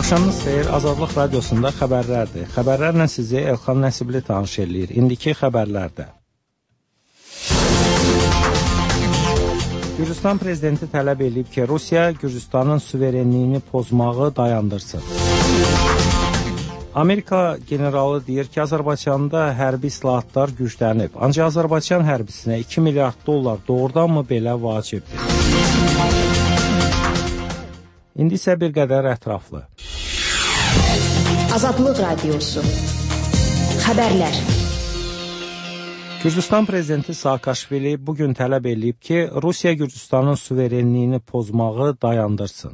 Axşamınız xeyir, Azadlıq Radiosunda xəbərlərdir. Xəbərlərlə sizi Elxan Nəsibli tanış eləyir. İndiki xəbərlərdə. Gürcüstan prezidenti tələb edib ki, Rusiya Gürcüstanın suverenliyini pozmağı dayandırsın. Amerika generalı deyir ki, Azərbaycanda hərbi islahatlar güclənib. Ancaq Azərbaycan hərbisinə 2 milyard dollar doğrudanmı belə vacibdir? İndi isə bir qədər ətraflı. Azadlıq Radiosu. Xəbərlər. Gürcüstan prezidenti Saakashvili bugün tələb edib ki, Rusiya Gürcüstanın suverenliyini pozmağı dayandırsın.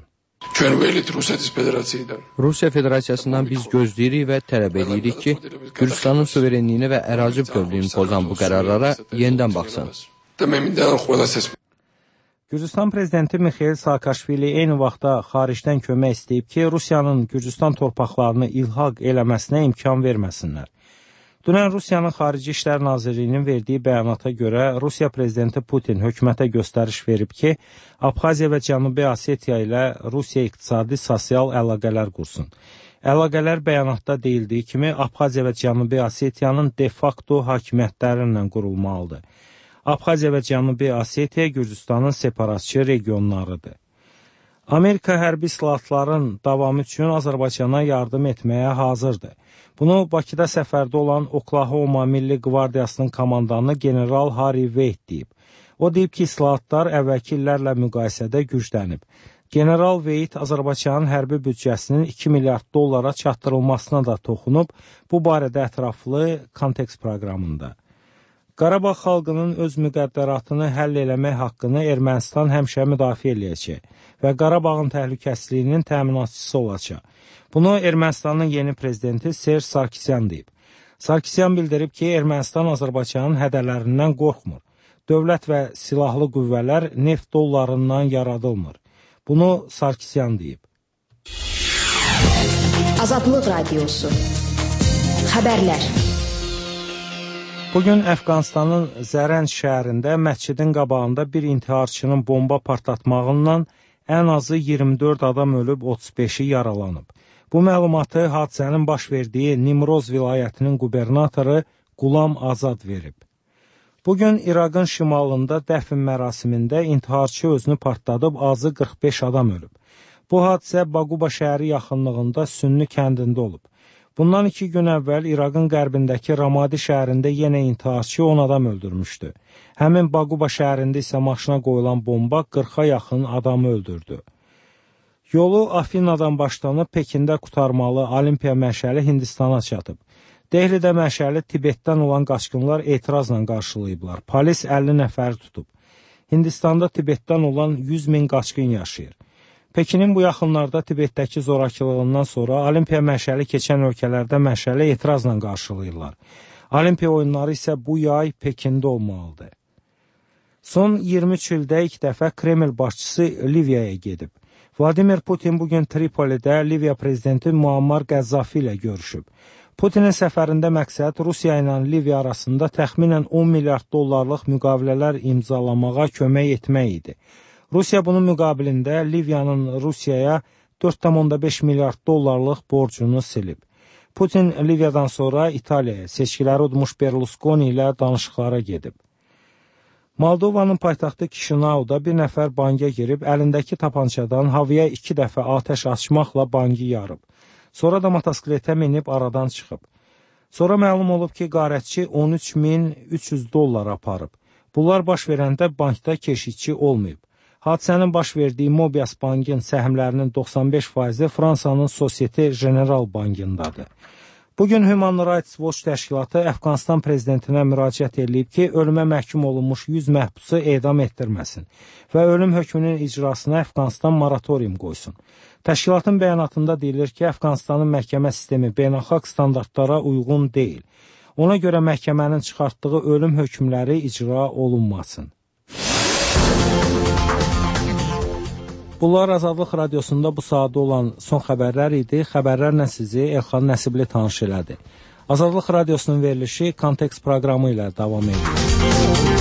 Rusiya Federasiyasından biz gözləyirik və tələb edirik ki, Gürcüstanın suverenliyini və ərazi bütövlüyünü pozan bu qərarlara yenidən baxsın. Gürcüstan prezidenti Mikhail Saakashvili eyni vaxtda xaricdən kömək istəyib ki, Rusiyanın Gürcüstan torpaqlarını ilhaq eləməsinə imkan verməsinlər. Dünən Rusiyanın Xarici İşlər Nazirliyinin verdiyi bəyanata görə Rusiya prezidenti Putin hökumətə göstəriş verib ki, Abxaziya və Cənubi Osetiya ilə Rusiya iqtisadi sosial əlaqələr qursun. Əlaqələr bəyanatda deyildiyi kimi, Abxaziya və Cənubi Osetiyanın de facto hakimiyyətləri ilə qurulmalıdır. Abxaziya və Cənubi Osetiya Gürcüstanın separatçı regionlarıdır. Amerika hərbi islahatların davamı üçün Azərbaycana yardım etməyə hazırdır. Bunu Bakıda səfərdə olan Oklahoma Milli Qvardiyasının komandanı General Harry Wade deyib. O deyib ki, islahatlar əvvəlki illərlə müqayisədə güclənib. General Wade Azərbaycanın hərbi büdcəsinin 2 milyard dollara çatdırılmasına da toxunub, bu barədə ətraflı kontekst proqramında. Qarabağ xalqının öz müqəddəratını həll eləmək haqqını Ermənistan həmişə müdafiə eləyəcək və Qarabağın təhlükəsizliyinin təminatçısı olacaq. Bunu Ermənistanın yeni prezidenti Serj Sarkisyan deyib. Sarkisyan bildirib ki, Ermənistan Azərbaycanın hədələrindən qorxmur. Dövlət və silahlı qüvvələr neft dollarından yaradılmır. Bunu Sarkisyan deyib. Azadlıq Radiosu. Xəbərlər. Bugün Əfqanistanın Zərənd şəhərində məscidin qabağında bir intiharçının bomba partlatmağından ən azı 24 adam ölüb, 35-i yaralanıb. Bu məlumatı hadisənin baş verdiyi Nimroz vilayətinin qubernatoru Qulam Azad verib. Bugün İraqın şimalında dəfn mərasimində intiharçı özünü partladıb, azı 45 adam ölüb. Bu hadisə Baquba şəhəri yaxınlığında Sünni kəndində olub. Bundan 2 gün əvvəl İraqın qərbindəki Ramadi şəhərində yenə intiharçı 10 adam öldürmüşdü. Həmin Baquba şəhərində isə maşına qoyulan bomba 40-a yaxın adamı öldürdü. Yolu Afina'dan başlanıb Pekində qurtarmalı Olimpiya məşəli Hindistana çatıb. Dehlidə məşəli Tibetdən olan qaçqınlar etirazla qarşılayıblar. Polis 50 nəfəri tutub. Hindistanda Tibetdən olan 100 min qaçqın yaşayır. Pekinin bu yaxınlarda Tibetdəki zorakılığından sonra Olimpiya məşəli keçən ölkələrdə məşəli etirazla qarşılayırlar. Olimpiya oyunları isə bu yay Pekində olmalıdır. Son 23 ildə ilk dəfə Kreml başçısı Liviyaya gedib. Vladimir Putin bugün Tripolidə Liviya prezidenti Muammar Qəzzafi ilə görüşüb. Putinin səfərində məqsəd Rusiya ilə Liviya arasında təxminən 10 milyard dollarlıq müqavilələr imzalamağa kömək etmək idi. Rusiya bunun müqabilində Liviyanın Rusiyaya 4,5 milyard dollarlıq borcunu silib. Putin Liviyadan sonra İtaliyaya, seçkiləri udmuş Berlusconi ilə danışıqlara gedib. Moldovanın paytaxtı Kişinauda bir nəfər banka girib, əlindəki tapançadan havaya 2 dəfə atəş açmaqla bankı yarıb. Sonra da motosikletə minib aradan çıxıb. Sonra məlum olub ki, qarətçi 13.300 dollar aparıb. Bunlar baş verəndə bankda keşikçi olmayıb. Hadisənin baş verdiyi Mobias bankın səhmlərinin 95%-i Fransanın Societe General bankındadır. Bugün Human Rights Watch təşkilatı Əfqanistan prezidentinə müraciət edib ki, ölümə məhkum olunmuş 100 məhbusu edam etdirməsin və ölüm hökmünün icrasına Əfqanistan moratorium qoysun. Təşkilatın bəyanatında deyilir ki, Əfqanistanın məhkəmə sistemi beynəlxalq standartlara uyğun deyil. Ona görə məhkəmənin çıxartdığı ölüm hökmləri icra olunmasın. Bunlar Azadlıq Radiosunda bu saatda olan son xəbərlər idi. Xəbərlərlə sizi Elxan Nəsibli tanış elədi. Azadlıq Radiosunun verilişi Kontekst proqramı ilə davam edir.